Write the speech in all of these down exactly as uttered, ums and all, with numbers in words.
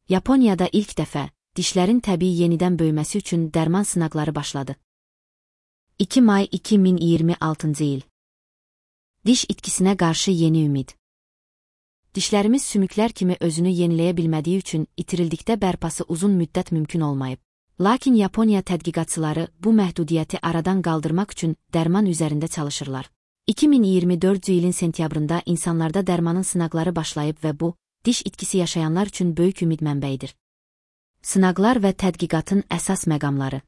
Yaponiyada ilk dəfə dişlərin təbii yenidən böyüməsi üçün dərman sınaqları başladı. iki may iki min iyirmi altıncı il. Diş itkisinə qarşı yeni ümid. Dişlərimiz sümüklər kimi özünü yeniləyə bilmədiyi üçün itirildikdə bərpası uzun müddət mümkün olmayıb. Lakin Yaponiya tədqiqatçıları bu məhdudiyyəti aradan qaldırmaq üçün dərman üzərində çalışırlar. iki min iyirmi dördüncü ilin sentyabrında insanlarda dərmanın sınaqları başlayıb və bu, diş itkisi yaşayanlar üçün böyük ümid mənbəyidir. Sınaqlar və tədqiqatın əsas məqamları.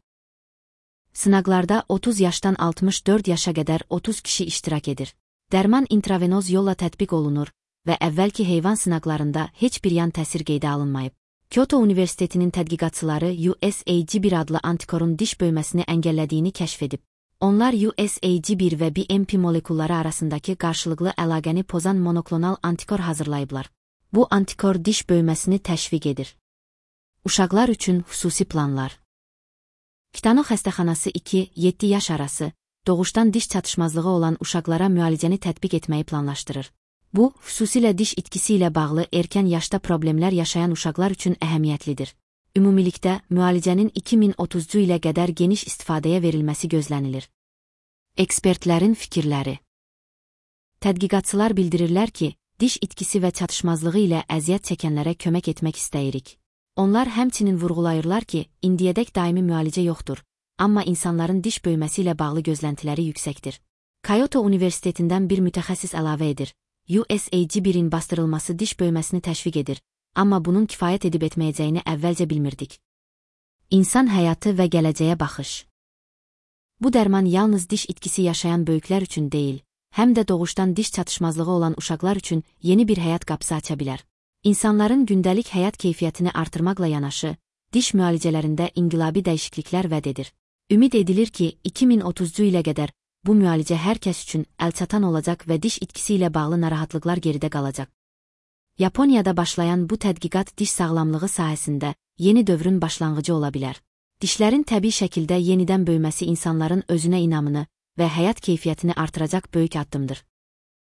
Sınaqlarda otuz yaşdan altmış dörd yaşa qədər otuz kişi iştirak edir. Dərman intravenoz yolla tətbiq olunur və əvvəlki heyvan sınaqlarında heç bir yan təsir qeydə alınmayıb. Kyoto Universitetinin tədqiqatçıları U S A G bir adlı antikorun diş böyüməsini əngəllədiyini kəşf edib. Onlar U S A G bir və B M P molekulları arasındakı qarşılıqlı əlaqəni pozan monoklonal antikor hazırlayıblar. Bu antikor diş böyüməsini təşviq edir. Uşaqlar üçün xüsusi planlar. Kitano xəstəxanası iki yeddi yaş arası, doğuşdan diş çatışmazlığı olan uşaqlara müalicəni tətbiq etməyi planlaşdırır. Bu, xüsusilə diş itkisi ilə bağlı erkən yaşda problemlər yaşayan uşaqlar üçün əhəmiyyətlidir. Ümumilikdə, müalicənin iki min otuzuncu ilə qədər geniş istifadəyə verilməsi gözlənilir. Ekspertlərin fikirləri. Tədqiqatçılar bildirirlər ki, diş itkisi və çatışmazlığı ilə əziyyət çəkənlərə kömək etmək istəyirik. Onlar həmçinin vurğulayırlar ki, indiyədək daimi müalicə yoxdur, amma insanların diş böyüməsi ilə bağlı gözləntiləri yüksəkdir. Kyoto Universitetindən bir mütəxəssis əlavə edir. U S A G birin bastırılması diş böyüməsini təşviq edir, amma bunun kifayət edib etməyəcəyini əvvəlcə bilmirdik. İnsan həyatı və gələcəyə baxış. Bu dərman yalnız diş itkisi yaşayan böyüklər üçün deyil, həm də doğuşdan diş çatışmazlığı olan uşaqlar üçün yeni bir həyat qapısı aça bilər. İnsanların gündəlik həyat keyfiyyətini artırmaqla yanaşı, diş müalicələrində inqilabi dəyişikliklər vəd edir. Ümid edilir ki, iki min otuzuncu ilə qədər bu müalicə hər kəs üçün əlçatan olacaq və diş itkisi ilə bağlı narahatlıqlar geridə qalacaq. Yaponiyada başlayan bu tədqiqat diş sağlamlığı sahəsində yeni dövrün başlanğıcı ola bilər. Dişlərin təbii şəkildə yenidən böyüməsi insanların özünə inamını və həyat keyfiyyətini artıracaq böyük addımdır.